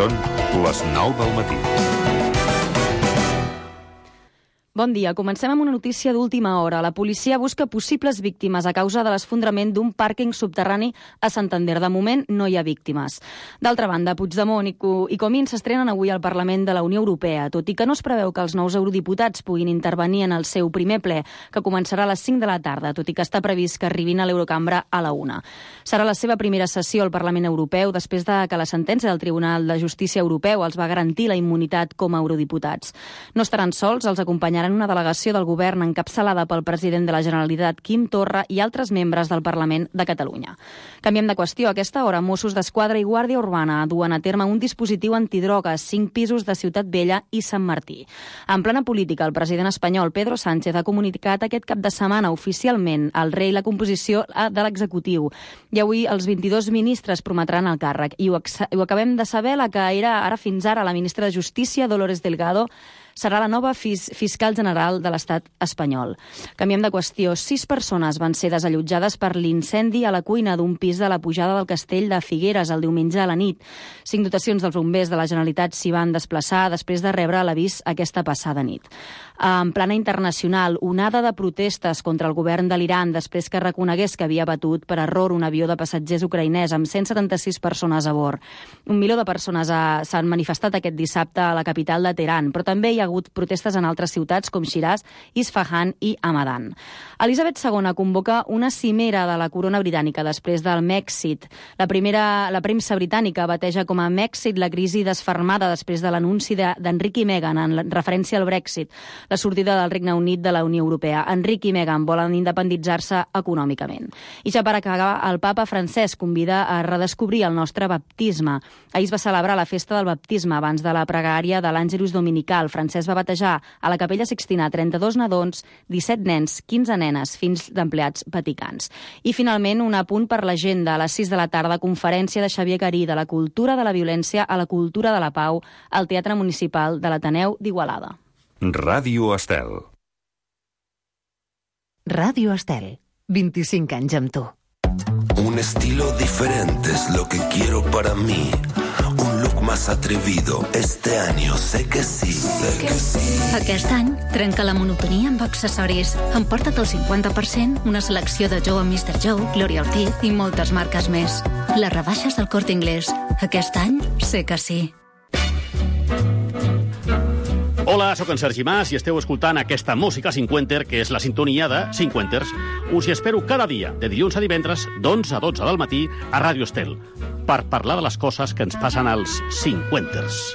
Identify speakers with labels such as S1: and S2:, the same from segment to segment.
S1: Són les 9 del matí.
S2: Bon dia. Comencem amb una notícia d'última hora. La policia busca possibles víctimes a causa de l'esfondrament d'un pàrquing subterrani a Santander. De moment, no hi ha víctimes. D'altra banda, Puigdemont i Comín s'estrenen avui al Parlament de la Unió Europea, tot i que no es preveu que els nous eurodiputats puguin intervenir en el seu primer ple, que començarà a les 5 de la tarda, tot i que està previst que arribin a l'Eurocambra a la 1. Serà la seva primera sessió al Parlament Europeu després de que la sentència del Tribunal de Justícia Europeu els va garantir la immunitat com a eurodiputats. No estaran sols, els acompanyaran una delegació del govern encapçalada pel president de la Generalitat, Quim Torra, i altres membres del Parlament de Catalunya. Canviem de qüestió. A aquesta hora, Mossos d'Esquadra i Guàrdia Urbana duen a terme un dispositiu antidrogues, 5 pisos de Ciutat Vella i Sant Martí. En plena política, el president espanyol Pedro Sánchez ha comunicat aquest cap de setmana oficialment al rei la composició de l'executiu. I avui els 22 ministres prometran el càrrec. I ho acabem de saber, la que era ara fins ara la ministra de Justícia, Dolores Delgado, serà la nova fiscal general de l'Estat espanyol. Canviem de qüestió. 6 persones van ser desallotjades per l'incendi a la cuina d'un pis de la Pujada del Castell de Figueres el diumenge a la nit. 5 dotacions dels bombers de la Generalitat s'hi van desplaçar després de rebre l'avís aquesta passada nit. En plana internacional, onada de protestes contra el govern de l'Iran després que reconegués que havia batut per error un avió de passatgers ucraïnès amb 176 persones a bord. 1 milió de persones s'han manifestat aquest dissabte a la capital de Teheran, però també hi ha hagut protestes en altres ciutats com Shiraz, Isfahan i Hamadan. Elisabet II convoca una cimera de la corona britànica després del Mèxit. La premsa britànica bateja com a Mèxit la crisi desfermada després de l'anunci d'Enric i Meghan en referència al Brexit, la sortida del Regne Unit de la Unió Europea. Enric i Meghan volen independitzar-se econòmicament. I ja per acabar, el papa Francesc convida a redescobrir el nostre baptisme. Ahir es va celebrar la festa del baptisme abans de la pregària de l'Àngelus Dominical. Francesc va batejar a la Capella Sixtina 32 nadons, 17 nens, 15 nenes, fills d'empleats vaticans. I finalment, un apunt per l'agenda. A les 6 de la tarda, conferència de Xavier Garí de la cultura de la violència a la cultura de la pau al Teatre Municipal de l'Ateneu d'Igualada.
S1: Ràdio Estel.
S3: Ràdio Estel. 25 anys amb tu.
S4: Un estilo diferente es lo que quiero para mí. Un look más atrevido. Este año sé que sí.
S5: Aquest any, trenca la monotonia amb accessoris. Emporta't el 50%, una selecció de Joe amb Mr. Joe, Gloria Ortiz i moltes marques més. Les rebaixes del Corte Inglés. Aquest any sé que sí.
S6: Hola, sóc en Sergi Mas i esteu escoltant aquesta música cinquenter, que és la sintonia de Cinquenters. Us hi espero cada dia, de dilluns a divendres, d'11 a 12 del matí, a Ràdio Estel, per parlar de les coses que ens passen als cinquenters.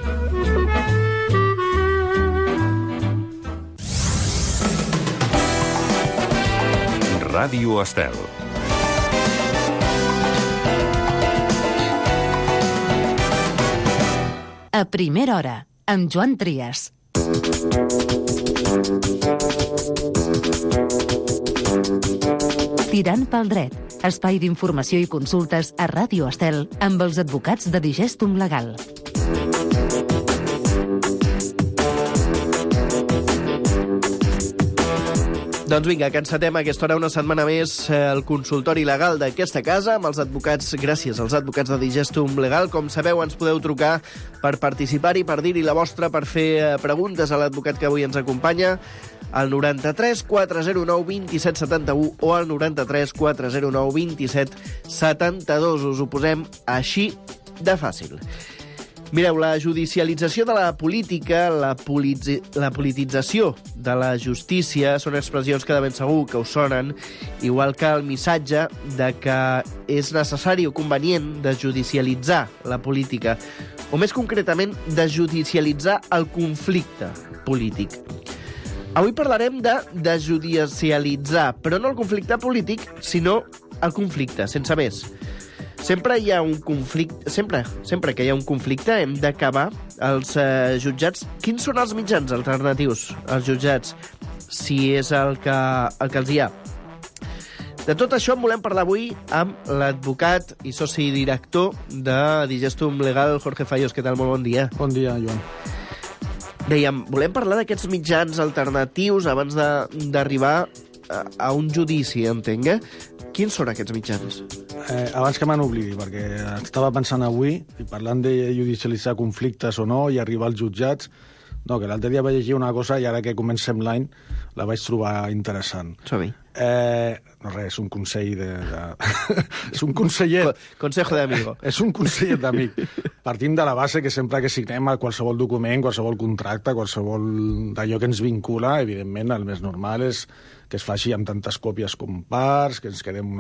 S1: Ràdio Estel.
S3: A primera hora, amb Joan Trias. Tirant pel dret, espai d'informació i consultes a Ràdio Estel amb els advocats de Digestum Legal.
S7: Doncs vinga, que encetem a aquesta hora una setmana més el consultori legal d'aquesta casa amb els advocats, gràcies als advocats de Digestum Legal. Com sabeu, ens podeu trucar per participar-hi, per dir-hi la vostra, per fer preguntes a l'advocat que avui ens acompanya, al 93 409 27 71 o al 93 409 27 72. Us ho posem així de fàcil. Mireu, la judicialització de la política, la politització de la justícia són expressions que de ben segur que us sonen, igual que el missatge de que és necessari o convenient de judicialitzar la política, o més concretament, de judicialitzar el conflicte polític. Avui parlarem de judicialitzar, però no el conflicte polític, sinó el conflicte, sense més. Sempre hi ha un conflicte, sempre que hi ha un conflicte hem d'acabar els jutjats. Quins són els mitjans alternatius als jutjats, si és el que els hi ha? De tot això en volem parlar avui amb l'advocat i soci director de Digestum Legal, Jorge Fallos. Què tal? Molt bon dia.
S8: Bon dia, Joan.
S7: Dèiem, volem parlar d'aquests mitjans alternatius abans d'arribar a un judici, entenc, eh? Quins són aquests mitjans?
S8: abans que me n'oblidi, perquè estava pensant avui, i parlant de judicialitzar conflictes o no, i arribar als jutjats, no, que l'altre dia vaig llegir una cosa i ara que comencem l'any la vaig trobar interessant.
S7: Som-hi.
S8: No res, és un consell és un conseller...
S7: Consejo de amigo.
S8: És un conseller d'amic. Partim de la base que sempre que signem qualsevol document, qualsevol contracte, qualsevol d'allò que ens vincula, evidentment, el més normal és que es faci amb tantes còpies com parts, que ens quedem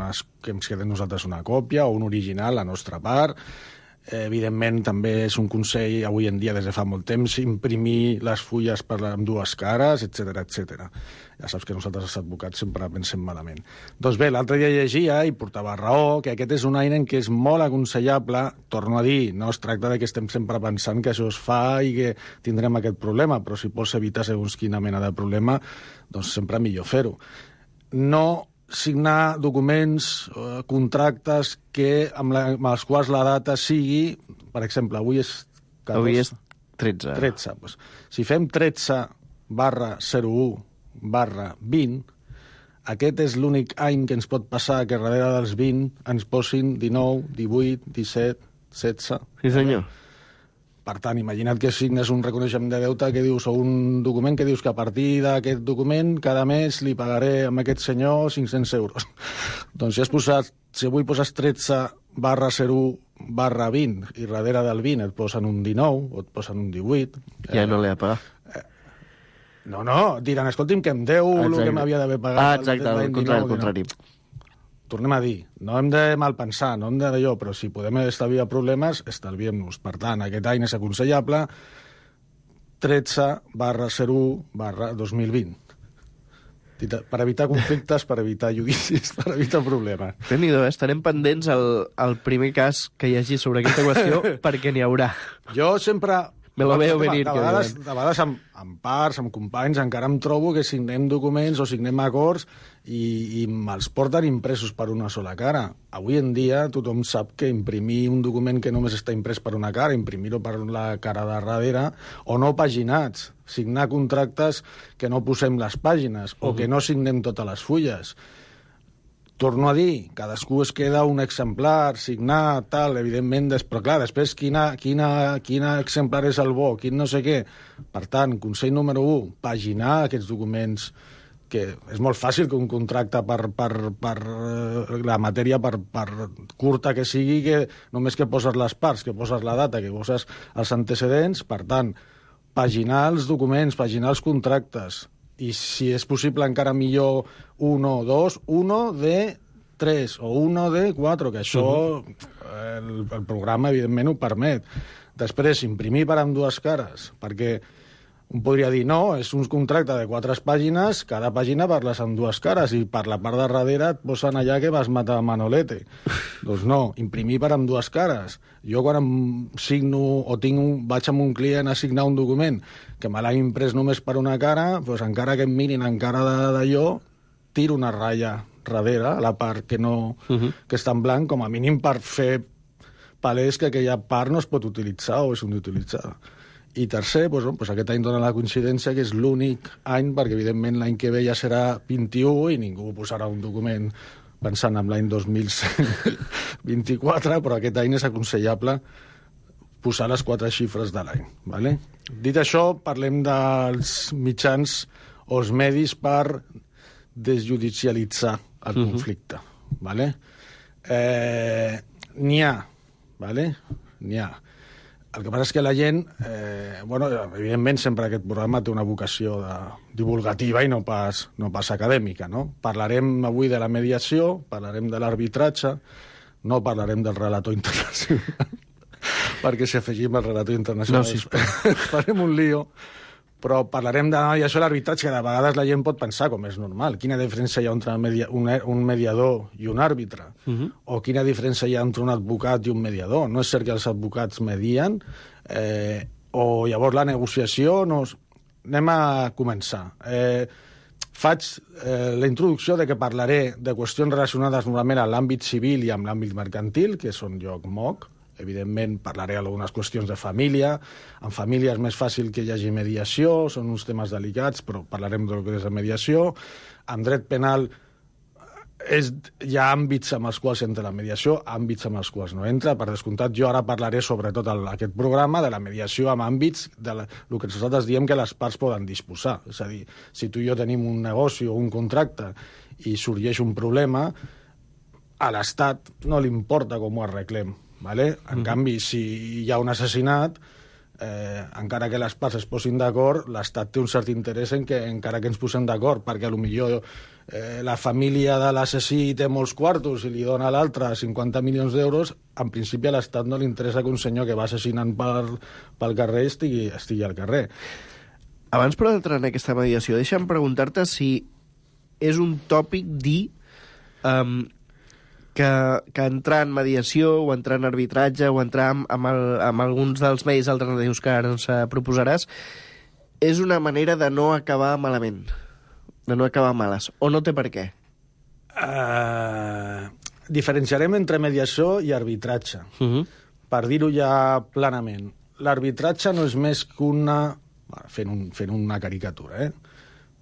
S8: nosaltres una còpia o un original, la nostra part. Evidentment, també és un consell, avui en dia, des de fa molt temps, imprimir les fulles amb dues cares, etc etc. Ja saps que nosaltres, els advocats, sempre pensem malament. Doncs bé, l'altre dia llegia i portava raó que aquest és un eina en què és molt aconsellable, torno a dir, no es tracta de que estem sempre pensant que això es fa i que tindrem aquest problema, però si pots evitar segons quina mena de problema, doncs sempre millor fer-ho. No signar documents, contractes amb els quals la data sigui, per exemple, avui és 14,
S7: avui és 13.
S8: 13. Doncs, si fem 13/01/20, aquest és l'únic any que ens pot passar que darrere dels 20 ens posin 19, 18, 17, 16...
S7: Sí, senyor.
S8: Per tant, imagina't que signes un reconeixement de deute que dius, o un document que dius que a partir d'aquest document cada mes li pagaré a aquest senyor 500 euros. Doncs si avui poses 13/01/20 i darrere del 20 et posen un 19 o et posen un 18...
S7: Ja no l'he de pagar.
S8: No, diran, escolti'm, que em deu el que m'havia d'haver pagat.
S7: Exacte, el contrari.
S8: Tornem a dir, no hem de malpensar, no hem d'allò, però si podem estalviar problemes, estalviem-nos. Per tant, aquest any és aconsellable 13/01/2020. Per evitar conflictes, per evitar judicis, per evitar problemes.
S7: Déu-n'hi-do, estarem pendents al primer cas que hi hagi sobre aquesta qüestió, perquè n'hi haurà.
S8: Jo sempre...
S7: Me lo veo venir.
S8: De vegades amb parts, amb companys, encara em trobo que signem documents o signem acords i me'ls porten impresos per una sola cara. Avui en dia tothom sap que imprimir un document que només està imprès per una cara, imprimir-ho per la cara de darrere, o no paginats, signar contractes que no posem les pàgines, o que no signem totes les fulles. Torno a dir, cadascú es queda un exemplar, signar, tal, evidentment, però clar, després quin exemplar és el bo, quin no sé què. Per tant, consell número 1, paginar aquests documents, que és molt fàcil que un contracte per la matèria, per curta que sigui, que només que poses les parts, que poses la data, que poses els antecedents, per tant, paginar els documents, paginar els contractes, i si és possible encara millor 1 o 2, 1 de 3 o 1 de 4, que això el programa evidentment ho permet. Després, imprimir per amb dues cares, perquè un podria dir, no, és un contracte de 4 pàgines, cada pàgina parles amb dues cares i per la part de darrere et posen allà que vas matar Manolete. Doncs no, imprimir per amb dues cares. Jo quan em signo o vaig amb un client a signar un document que me l'ha imprès només per una cara, doncs encara que em mirin encara d'allò, tiro una ratlla darrere, a la part que que està en blanc, com a mínim per fer palès que aquella part no es pot utilitzar o és inutilitzada. I tercer, doncs aquest any dona la coincidència que és l'únic any, perquè evidentment l'any que ve ja serà 21 i ningú posarà un document pensant en l'any 2024, però aquest any és aconsellable posar les 4 xifres de l'any. Vale? Dit això, parlem dels mitjans o els medis per desjudicialitzar el conflicte. Vale? N'hi ha. Vale? N'hi ha. El que passa és que la gent, evidentment sempre aquest programa té una vocació divulgativa i no pas acadèmica, no? Parlarem avui de la mediació, parlarem de l'arbitratge, no parlarem del relator internacional, perquè si afegim el relator internacional farem un lío, però parlarem i això l'arbitratge, que de vegades la gent pot pensar, com és normal, quina diferència hi ha entre un mediador i un àrbitre, o quina diferència hi ha entre un advocat i un mediador. No és cert que els advocats medien, o llavors la negociació... Anem a començar. Faig la introducció de que parlaré de qüestions relacionades normalment amb l'àmbit civil i amb l'àmbit mercantil, que són jo moc. Evidentment, parlaré d'algunes qüestions de família. En família és més fàcil que hi hagi mediació, són uns temes delicats, però parlarem del que és la mediació. En dret penal hi ha àmbits amb els quals entra la mediació, àmbits amb els quals no entra. Per descomptat, jo ara parlaré sobretot aquest programa de la mediació amb àmbits el que nosaltres diem que les parts poden disposar. És a dir, si tu i jo tenim un negoci o un contracte i sorgeix un problema, a l'Estat no li importa com ho arreglem. ¿Vale? En canvi, si hi ha un assassinat, encara que les parts es posin d'acord, l'Estat té un cert interès en que encara que ens posem d'acord, perquè potser la família de l'assassí té molts quartos i li dona a l'altre 50 milions d'euros, en principi a l'Estat no li interessa que un senyor que va assassinant pel carrer estigui al carrer.
S7: Abans, però, d'entrar en aquesta mediació, deixa'm preguntar-te si és un tòpic dir que entrar en mediació o entrar en arbitratge o entrar amb alguns dels medis alternatius que ara ens proposaràs és una manera de no acabar malament, de no acabar males, o no té per què?
S8: Diferenciarem entre mediació i arbitratge. Per dir-ho ja planament. L'arbitratge no és més que fent una caricatura,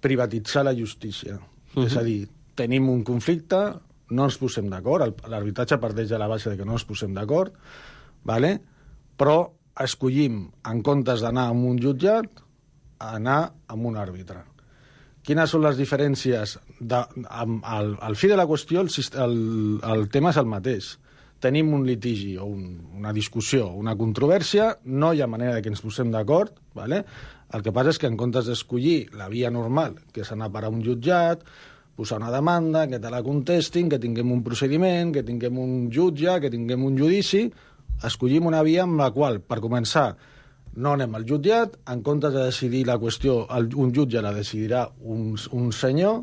S8: privatitzar la justícia. És a dir, tenim un conflicte, no ens posem d'acord, l'arbitratge parteix de la base de que no ens posem d'acord, ¿vale? Però escollim, en comptes d'anar a un jutjat, anar a un àrbitre. Quines són les diferències? Al fi de la qüestió, el tema és el mateix. Tenim un litigi o una discussió, una controvèrsia, no hi ha manera que ens posem d'acord, ¿vale? El que passa és que en comptes d'escollir la via normal, que és anar a parar un jutjat, posar una demanda, que te la contestin, que tinguem un procediment, que tinguem un jutge, que tinguem un judici, escollim una via amb la qual, per començar, no anem al jutjat, en comptes de decidir la qüestió, un jutge la decidirà un senyor,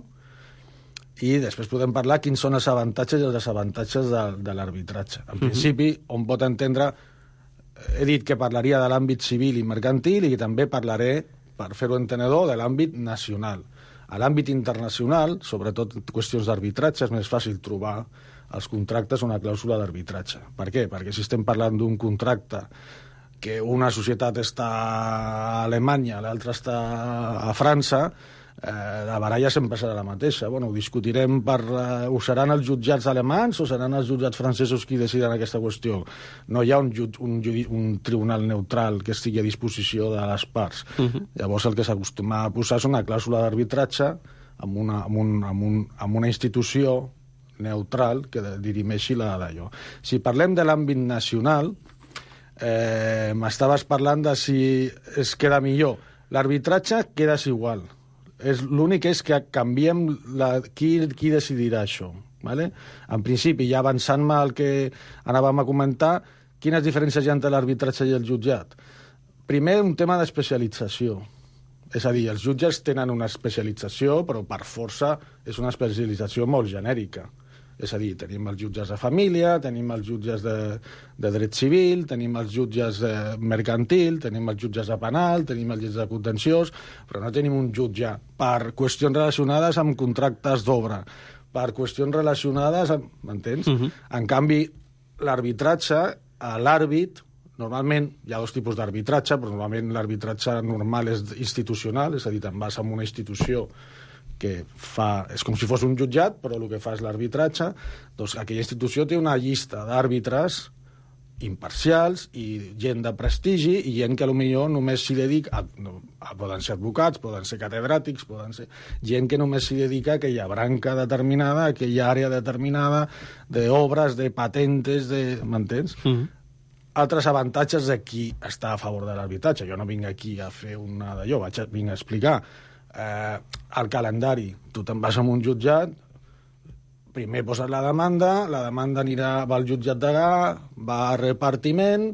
S8: i després podem parlar quins són els avantatges i els desavantatges de l'arbitratge. En principi, on pot entendre, he dit que parlaria de l'àmbit civil i mercantil i també parlaré, per fer-ho entenedor, de l'àmbit nacional. A l'àmbit internacional, sobretot qüestions d'arbitratge, és més fàcil trobar als contractes una clàusula d'arbitratge. Per què? Perquè si estem parlant d'un contracte que una societat està a Alemanya, l'altra està a França, la baralla sempre serà la mateixa. Bueno, ho discutirem ho seran els jutjats alemans o seran els jutjats francesos qui decidiran aquesta qüestió. No hi ha un tribunal neutral que estigui a disposició de les parts. Llavors el que s'acostuma a posar és una clàusula d'arbitratge amb una institució neutral que dirimeixi d'allò. Si parlem de l'àmbit nacional, m'estaves parlant de si es queda millor. L'arbitratge queda igual. L'únic és que canviem qui decidirà això. ¿Vale? En principi, ja avançant-me al que anàvem a comentar, quines diferències hi ha entre l'arbitratge i el jutjat? Primer, un tema d'especialització. És a dir, els jutges tenen una especialització, però per força és una especialització molt genèrica. És a dir, tenim els jutges de família, tenim els jutges de dret civil, tenim els jutges mercantil, tenim els jutges de penal, tenim els jutges de contenciós, però no tenim un jutge per qüestions relacionades amb contractes d'obra, per qüestions relacionades amb... M'entens? En canvi, l'arbitratge, l'àrbit, normalment hi ha dos tipus d'arbitratge, però normalment l'arbitratge normal és institucional, és a dir, te'n vas a una institució que és com si fos un jutjat, però el que fa és l'arbitratge. Doncs aquella institució té una llista d'àrbitres imparcials i gent de prestigi i gent que potser només s'hi dedica, poden ser advocats, poden ser catedràtics, poden ser gent que només s'hi dedica a aquella branca determinada, a aquella àrea determinada d'obres, de patentes, m'entens? Altres avantatges de qui està a favor de l'arbitratge. Jo no vinc aquí a fer una d'allò, vinc a explicar el calendari. Tu te'n vas a un jutjat, primer poses la demanda va al jutjat degà, va a repartiment,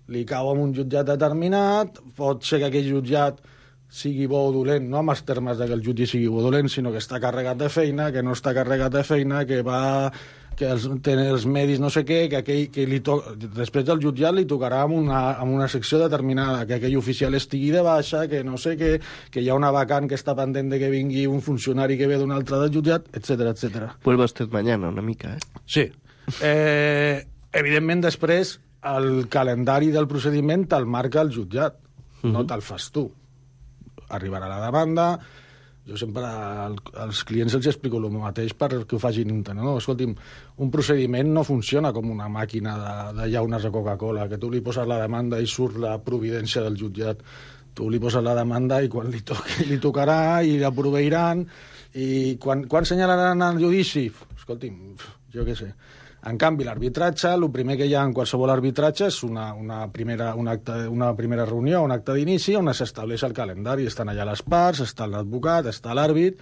S8: li cau en un jutjat determinat, pot ser que aquell jutjat sigui bo o dolent, no amb els termes que el jutge sigui bo o dolent, sinó que està carregat de feina, que no està carregat de feina, que té els medis no sé què, després del jutjat li tocarà amb una secció determinada, que aquell oficial estigui de baixa, que no sé què, que hi ha una vacant que està pendent de que vingui un funcionari que ve d'un altre del jutjat, etc.
S7: Vuelva usted mañana, una mica,
S8: Sí. Evidentment, després, el calendari del procediment te'l marca el jutjat, no te'l fas tu. Arribarà la demanda, Jo sempre als clients els explico el mateix perquè ho facin entendre. No, escolti'm, un procediment no funciona com una màquina de llaunes de Coca-Cola, que tu li poses la demanda i surt la providència del jutjat. Tu li poses la demanda i quan li toqui, li tocarà i la proveiran. I quan senyalaran el judici? Escolti'm, jo què sé. En canvi, l'arbitratge, el primer que hi ha en qualsevol arbitratge és una primera reunió, un acte d'inici, on s'estableix el calendari. Estan allà les parts, està l'advocat, està l'àrbit.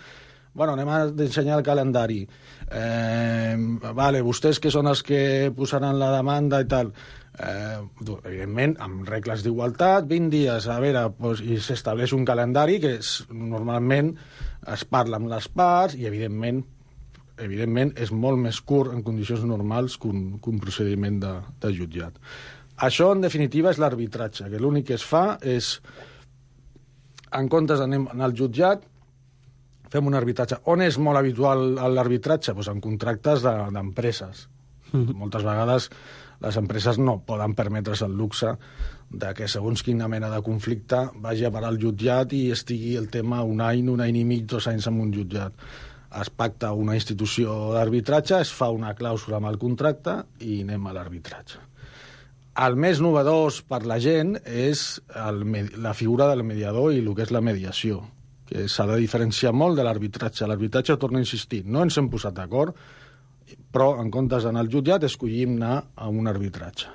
S8: Bueno, anem a ensenyar el calendari. Vale, vostès que són els que posaran la demanda i tal. Evidentment, amb regles d'igualtat, 20 dies, a veure, doncs, i s'estableix un calendari que normalment es parla amb les parts i, evidentment, és molt més curt en condicions normals que un procediment de jutjat. Això, en definitiva, és l'arbitratge, que l'únic que es fa és, en comptes d'anem al jutjat, fem un arbitratge. On és molt habitual l'arbitratge? Doncs en contractes d'empreses. Moltes vegades les empreses no poden permetre's el luxe de que, segons quina mena de conflicte, vagi a parar al jutjat i estigui el tema un any i mig, 2 anys en un jutjat. Es pacta una institució d'arbitratge, es fa una clàusula amb el contracte i anem a l'arbitratge. El més novedós per la gent és la figura del mediador i el que és la mediació, que s'ha de diferenciar molt de l'arbitratge. L'arbitratge, torno a insistir, no ens hem posat d'acord, però en comptes d'anar al jutjat escollim anar a un arbitratge.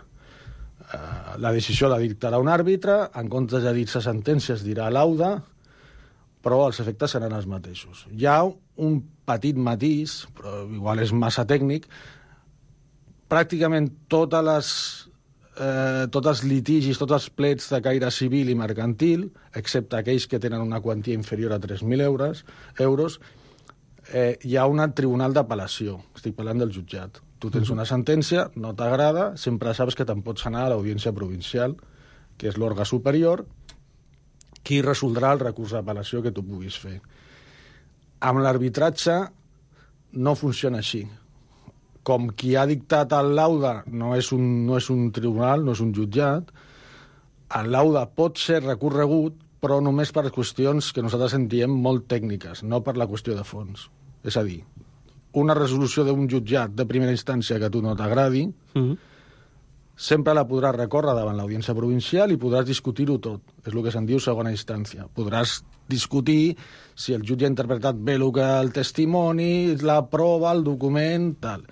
S8: La decisió la dictarà un àrbitre, en comptes de dir-se sentència es dirà lauda, però els efectes seran els mateixos. Hi ha un petit matís, però igual és massa tècnic, pràcticament tots els litigis, tots els plets de caire civil i mercantil, excepte aquells que tenen una quantia inferior a 3.000 euros, hi ha un tribunal d'apel·lació. Estic parlant del jutjat. Tu tens una sentència, no t'agrada, sempre saps que te'n pots anar a l'audiència provincial, que és l'òrgan superior, qui resoldrà el recurs d'apel·lació que tu puguis fer. Amb l'arbitratge no funciona així. Com qui ha dictat el laude no és un tribunal, no és un jutjat, el laude pot ser recorregut, però només per qüestions que nosaltres en diem molt tècniques, no per la qüestió de fons. És a dir, una resolució d'un jutjat de primera instància que a tu no t'agradi, sempre la podràs recórrer davant l'audiència provincial i podràs discutir-ho tot. És el que se'n diu segona instància. Podràs discutir si el jutge ha interpretat bé el testimoni, la prova, el document, tal.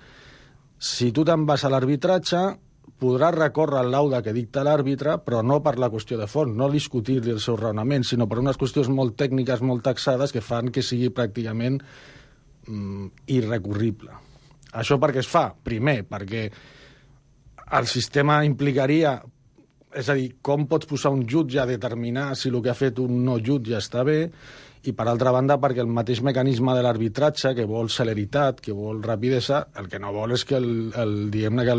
S8: Si tu te'n vas a l'arbitratge, podràs recórrer el laude que dicta l'àrbitre, però no per la qüestió de fons, no discutir-li el seu raonament, sinó per unes qüestions molt tècniques, molt taxades, que fan que sigui pràcticament irrecurrible. Això per què es fa? Primer, perquè el sistema implicaria, és a dir, com pots posar un jutge a determinar si el que ha fet un no jutge està bé, i per altra banda perquè el mateix mecanisme de l'arbitratge, que vol celeritat, que vol rapidesa, el que no vol és que diguem-ne que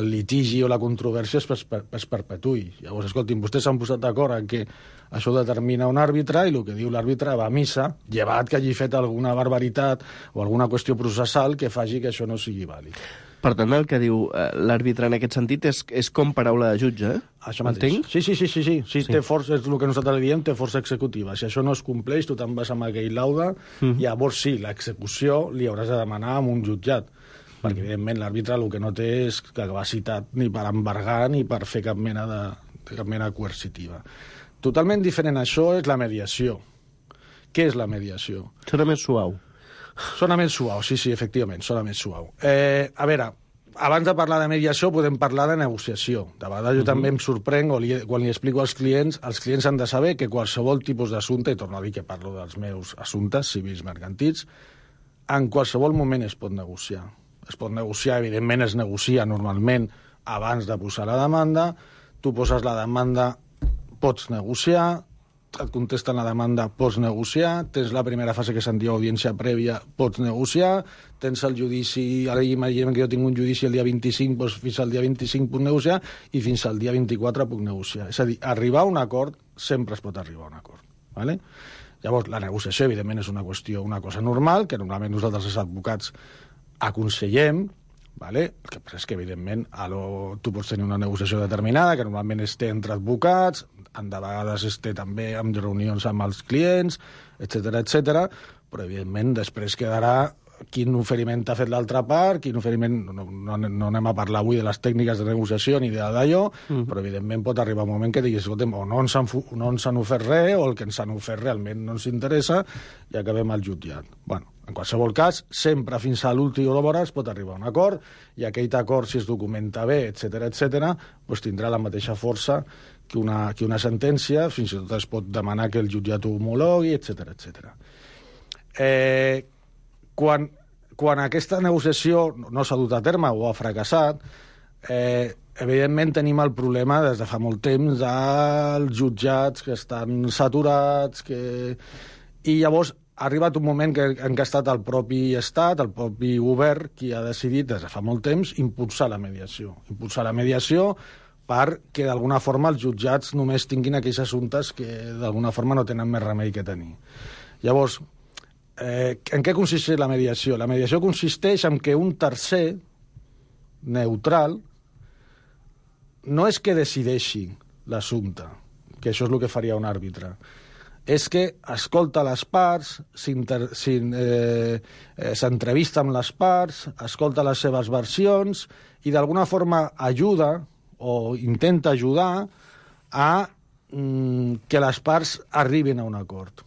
S8: el litigi o la controvèrsia es perpetui. Llavors, escolti'm, vostès s'han posat d'acord en que això ho determina un àrbitre i el que diu l'àrbitre va a missa, llevat que hagi fet alguna barbaritat o alguna qüestió processal que faci que això no sigui vàlid.
S7: Per tant, el que diu l'àrbitre en aquest sentit és com paraula de jutge, eh?
S8: Això mateix. Sí. Té força, és el que nosaltres diem, té força executiva. Si això no es compleix, tu te'n vas amb aquell laude, llavors sí, l'execució li hauràs de demanar a un jutjat, perquè evidentment l'àrbitre el que no té és capacitat ni per embargar ni per fer cap mena coercitiva. Totalment diferent a això és la mediació. Què és la mediació?
S7: Serà més suau.
S8: Sona més suau, sí, efectivament, sona més suau. A veure, abans de parlar de mediació podem parlar de negociació. De vegades jo també em sorprenc, quan li explico als clients han de saber que qualsevol tipus d'assumpte, i torno a dir que parlo dels meus assumptes civils mercantils, en qualsevol moment es pot negociar. Es pot negociar, evidentment es negocia normalment abans de posar la demanda, tu poses la demanda, pots negociar, et contesten la demanda, pots negociar, tens la primera fase que se'n diu audiència prèvia, pots negociar, tens el judici, ara imaginem que jo tinc un judici el dia 25, doncs fins al dia 25 puc negociar i fins al dia 24 puc negociar. És a dir, arribar a un acord, sempre es pot arribar a un acord. ¿Vale? Llavors, la negociació, evidentment, és una cosa normal, que normalment nosaltres els advocats aconsellem, ¿vale? El que passa és que, evidentment, tu pots tenir una negociació determinada, que normalment es té entre advocats, de vegades es té també amb reunions amb els clients, etc, però evidentment després quedarà quin oferiment t'ha fet l'altra part, quin oferiment... No anem a parlar avui de les tècniques de negociació ni d'allò, però evidentment pot arribar un moment que diguis, escolta'm, o no ens han ofert res, o el que ens han ofert realment no ens interessa, i acabem al jutjat. Bueno, en qualsevol cas, sempre fins a l'última hora es pot arribar a un acord, i aquell acord, si es documenta bé, etc, doncs tindrà la mateixa força que una sentència, fins i tot es pot demanar que el jutjat ho homologui, etc. Quan aquesta negociació no s'ha dut a terme o ha fracassat, evidentment tenim el problema des de fa molt temps dels jutjats que estan saturats, i llavors ha arribat un moment en què ha estat el propi Estat, el propi govern, qui ha decidit des de fa molt temps impulsar la mediació. Impulsar la mediació perquè d'alguna forma els jutjats només tinguin aquells assumptes que d'alguna forma no tenen més remei que tenir. Llavors, en què consisteix la mediació? La mediació consisteix en que un tercer neutral no és que decideixi l'assumpte, que això és el que faria un àrbitre, és que escolta les parts, s'entrevista amb les parts, escolta les seves versions i d'alguna forma ajuda o intenta ajudar a que les parts arribin a un acord.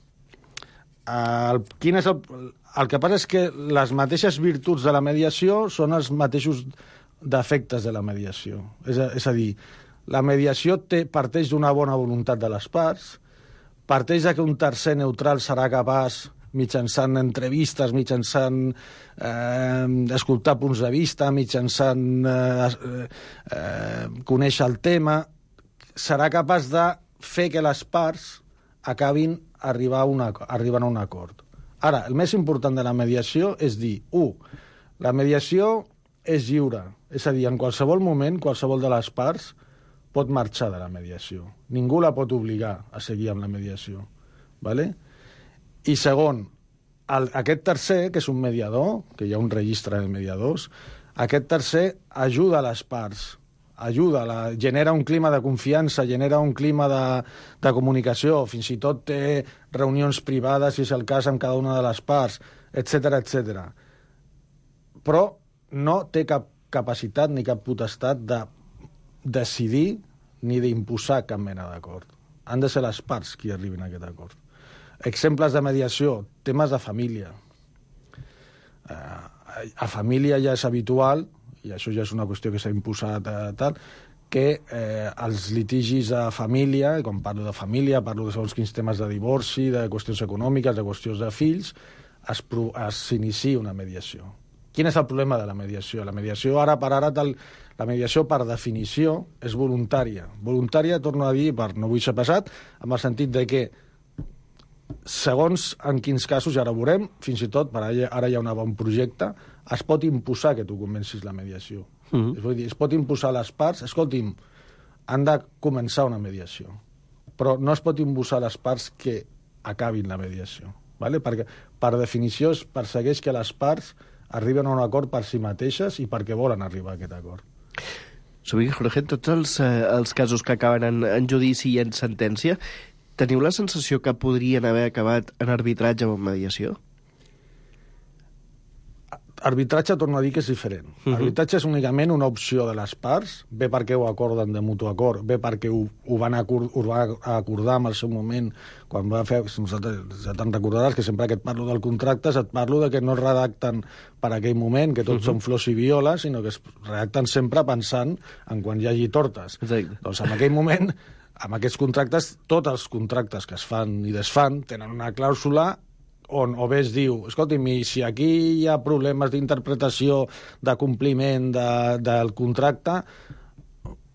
S8: El que passa és que les mateixes virtuts de la mediació són els mateixos defectes de la mediació. És a dir, la mediació parteix d'una bona voluntat de les parts, parteix que un tercer neutral serà capaç, mitjançant entrevistes, mitjançant escoltar punts de vista, mitjançant conèixer el tema, serà capaç de fer que les parts acabin arribant a un acord. Ara, el més important de la mediació és dir, la mediació és lliure, és a dir, en qualsevol moment, qualsevol de les parts pot marxar de la mediació. Ningú la pot obligar a seguir amb la mediació. ¿Vale? I segon, aquest tercer, que és un mediador, que hi ha un registre de mediadors, aquest tercer ajuda a les parts, genera un clima de confiança, genera un clima de comunicació, fins i tot té reunions privades, si és el cas, amb cada una de les parts, etc. Però no té cap capacitat ni cap potestat de decidir ni d'imposar cap mena d'acord. Han de ser les parts qui arribin a aquest acord. Exemples de mediació, temes de família. A família ja és habitual, i això ja és una qüestió que s'ha imposat que els litigis de família, quan parlo de família, parlo de segons quins temes de divorci, de qüestions econòmiques, de qüestions de fills, s'inicia una mediació. Quin és el problema de la mediació? La mediació, ara per ara, la mediació, per definició, és voluntària. Voluntària, torno a dir, no vull ser pesat, amb el sentit de que, segons en quins casos, ja ara ho veurem, fins i tot, ara hi ha un bon projecte, es pot imposar que tu comencis la mediació. Es pot imposar a les parts, escolti'm, han de començar una mediació, però no es pot imposar a les parts que acabin la mediació, ¿vale? Perquè, per definició, es persegueix que les parts arriben a un acord per si mateixes i perquè volen arribar a aquest acord.
S7: Sovint, Jorge, tots els casos que acaben en judici i en sentència, teniu la sensació que podrien haver acabat en arbitratge o en mediació?
S8: Arbitratge, torno a dir que és diferent. Arbitratge és únicament una opció de les parts, bé perquè ho acorden de mutu acord, bé perquè ho van acordar en el seu moment, quan va fer, ja te'n recordaràs que sempre que et parlo del contracte et parlo de que no es redacten per aquell moment, que tots són flors i violes, sinó que es redacten sempre pensant en quan hi hagi tortes.
S7: Exacte.
S8: Doncs en aquell moment, amb aquests contractes, tots els contractes que es fan i desfan tenen una clàusula on o bé es diu, escolti'm, si aquí hi ha problemes d'interpretació, de compliment del contracte,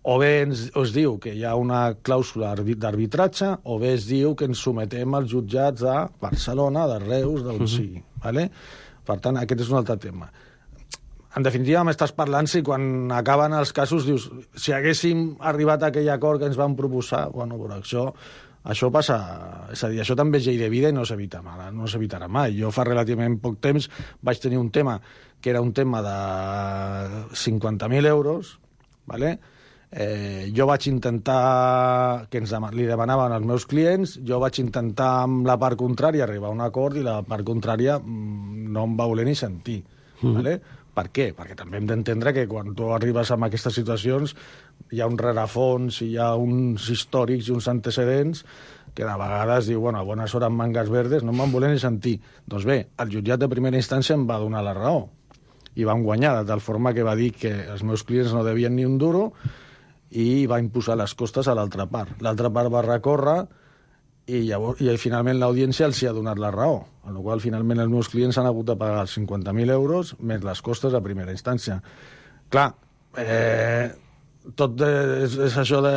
S8: o bé es diu que hi ha una clàusula d'arbitratge, o bé es diu que ens sometem als jutjats de Barcelona, de Reus, d'on sigui. ¿Vale? Per tant, aquest és un altre tema. En definitiva, m'estàs parlant si quan acaben els casos dius, si haguéssim arribat a aquell acord que ens van proposar, bueno, però això passa, és a dir, això també és llei de vida i no s'evitarà mai. Jo fa relativament poc temps vaig tenir un tema que era un tema de 50.000 euros, ¿vale? Jo vaig intentar, que li demanaven als meus clients, jo vaig intentar amb la part contrària arribar a un acord i la part contrària no em va voler ni sentir. Vale? Per què? Perquè també hem d'entendre que quan tu arribes a aquestes situacions hi ha un rerefons, hi ha uns històrics i uns antecedents que de vegades diu, bueno, a bones hores mangas verdes, no em van voler ni sentir. Doncs bé, el jutjat de primera instància em va donar la raó i van guanyar, de tal forma que va dir que els meus clients no devien ni un duro i va imposar les costes a l'altra part. L'altra part va recórrer i finalment l'audiència els hi ha donat la raó, amb la qual finalment els meus clients han hagut de pagar els 50.000 euros més les costes a primera instància. Clar, tot és això de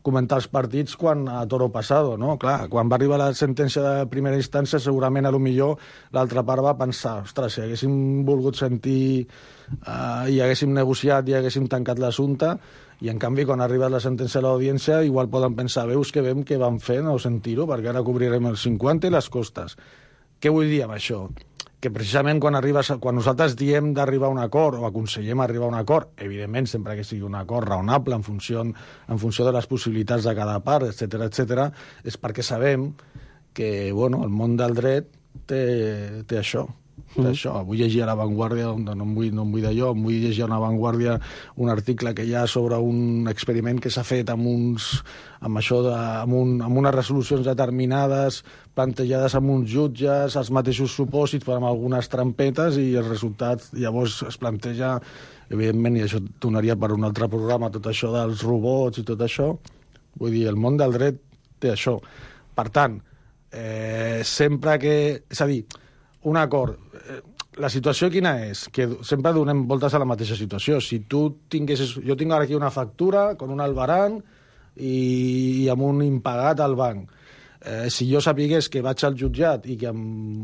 S8: comentar els partits quan a toro pasado, no? Clar, quan va arribar la sentència de primera instància segurament a lo millor l'altra part va pensar, ostres, si haguéssim volgut sentir i haguéssim negociat i haguéssim tancat l'assumpte, i en canvi quan arriba la sentència a l'audiència igual poden pensar, veus que vam què vam fer, no sentir-ho, perquè ara cobrirem els 50 i les costes. Què vull dir amb això? Que precisament quan nosaltres diem d'arribar a un acord o aconsellem arribar a un acord, evidentment sempre que sigui un acord raonable en funció de les possibilitats de cada part, etc, és perquè sabem que bueno, el món del dret té això. Vull llegir a La Vanguardia, no em vull d'allò, em vull llegir a La Vanguardia un article que hi ha sobre un experiment que s'ha fet amb unes resolucions determinades plantejades amb uns jutges, els mateixos supòsits, però amb algunes trampetes, i els resultats llavors es planteja, evidentment, i això donaria per un altre programa, tot això dels robots i tot això. Vull dir, el món del dret té això. Per tant, sempre que... És a dir, un acord. La situació quina és? Que sempre donem voltes a la mateixa situació. Si tu tinguessis... Jo tinc ara aquí una factura con un albarán i amb un impagat al banc. Si jo sapigués que vaig al jutjat i que en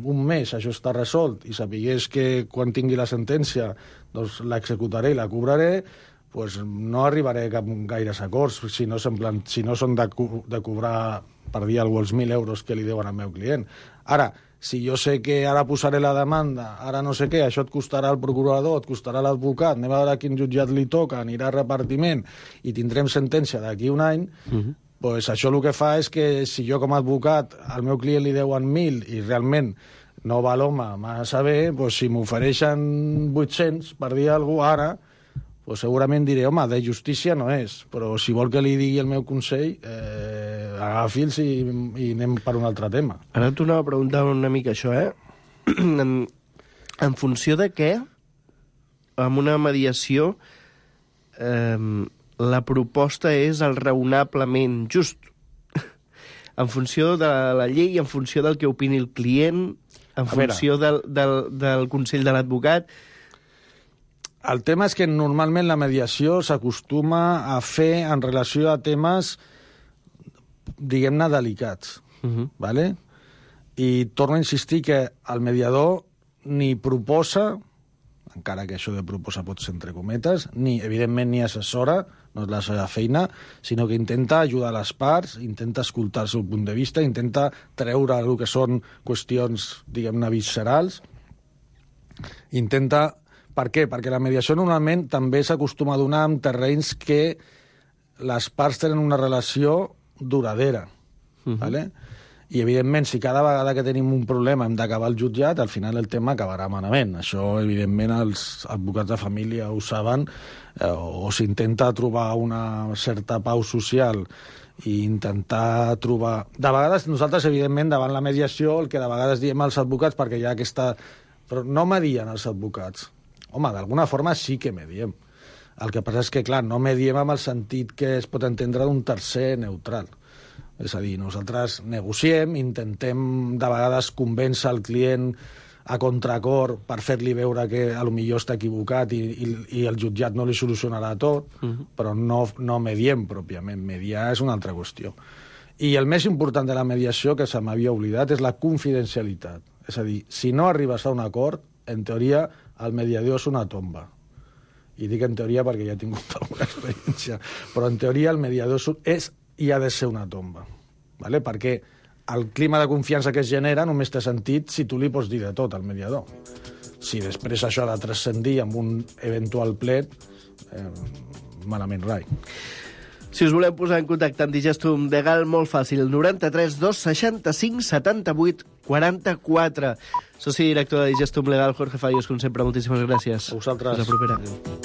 S8: un mes això està resolt i sapigués que quan tingui la sentència doncs l'executaré i la cobraré, doncs no arribaré a gaires acords si no són de cobrar, per dir alguna cosa, els 1.000 euros que li deuen al meu client. Ara, si jo sé que ara posaré la demanda, ara no sé què, això et costarà al procurador, et costarà a l'advocat, anem a veure a quin jutjat li toca, anirà a repartiment i tindrem sentència d'aquí un any, doncs això el que fa és que si jo com a advocat al meu client li deuen 1.000 i realment no va l'home massa bé, doncs si m'ofereixen 800 per dir alguna cosa ara, doncs segurament diré, home, de justícia no és, però si vol que li digui el meu consell, agafi'ls i anem per un altre tema.
S7: Ara t'ho anava a preguntar una mica això, en funció de què, amb una mediació, la proposta és el raonablement just. En funció de la llei, en funció del que opini el client, en funció del consell de l'advocat.
S8: El tema és que normalment la mediació s'acostuma a fer en relació a temes, diguem-ne, delicats. Vale? I torno a insistir que el mediador ni proposa, encara que això de proposa pot ser entre cometes, evidentment ni assessora, no és la seva feina, sinó que intenta ajudar les parts, intenta escoltar el seu punt de vista, intenta treure el que són qüestions, diguem-ne, viscerals, intenta... Per què? Perquè la mediació normalment també s'acostuma a donar en terrenys que les parts tenen una relació duradera. Vale? I, evidentment, si cada vegada que tenim un problema hem d'acabar al jutjat, al final el tema acabarà malament. Això, evidentment, els advocats de família ho saben, o s'intenta trobar una certa pau social i intentar trobar... De vegades, nosaltres, evidentment, davant la mediació, el que de vegades diem als advocats, perquè hi ha aquesta... Però no medien els advocats. Home, d'alguna forma sí que mediem. El que passa és que, clar, no mediem amb el sentit que es pot entendre d'un tercer neutral. És a dir, nosaltres negociem, intentem de vegades convèncer el client a contracor per fer-li veure que potser està equivocat i el jutjat no li solucionarà tot, però no mediem pròpiament. Mediar és una altra qüestió. I el més important de la mediació, que se m'havia oblidat, és la confidencialitat. És a dir, si no arribes a un acord, en teoria, el mediador és una tomba. I dic en teoria perquè ja he tingut alguna experiència. Però en teoria el mediador és i ha de ser una tomba. ¿Vale? Perquè el clima de confiança que es genera només té sentit si tu li pots dir de tot al mediador. Si després això ha de transcendir amb un eventual plet, malament rai.
S7: Si us voleu posar en contacte amb Digestum Legal, molt fàcil, 93 265 78 44. Soci director de Digestum Legal, Jorge Fallos, com sempre, moltíssimes gràcies.
S8: A vosaltres.
S7: Fins la propera.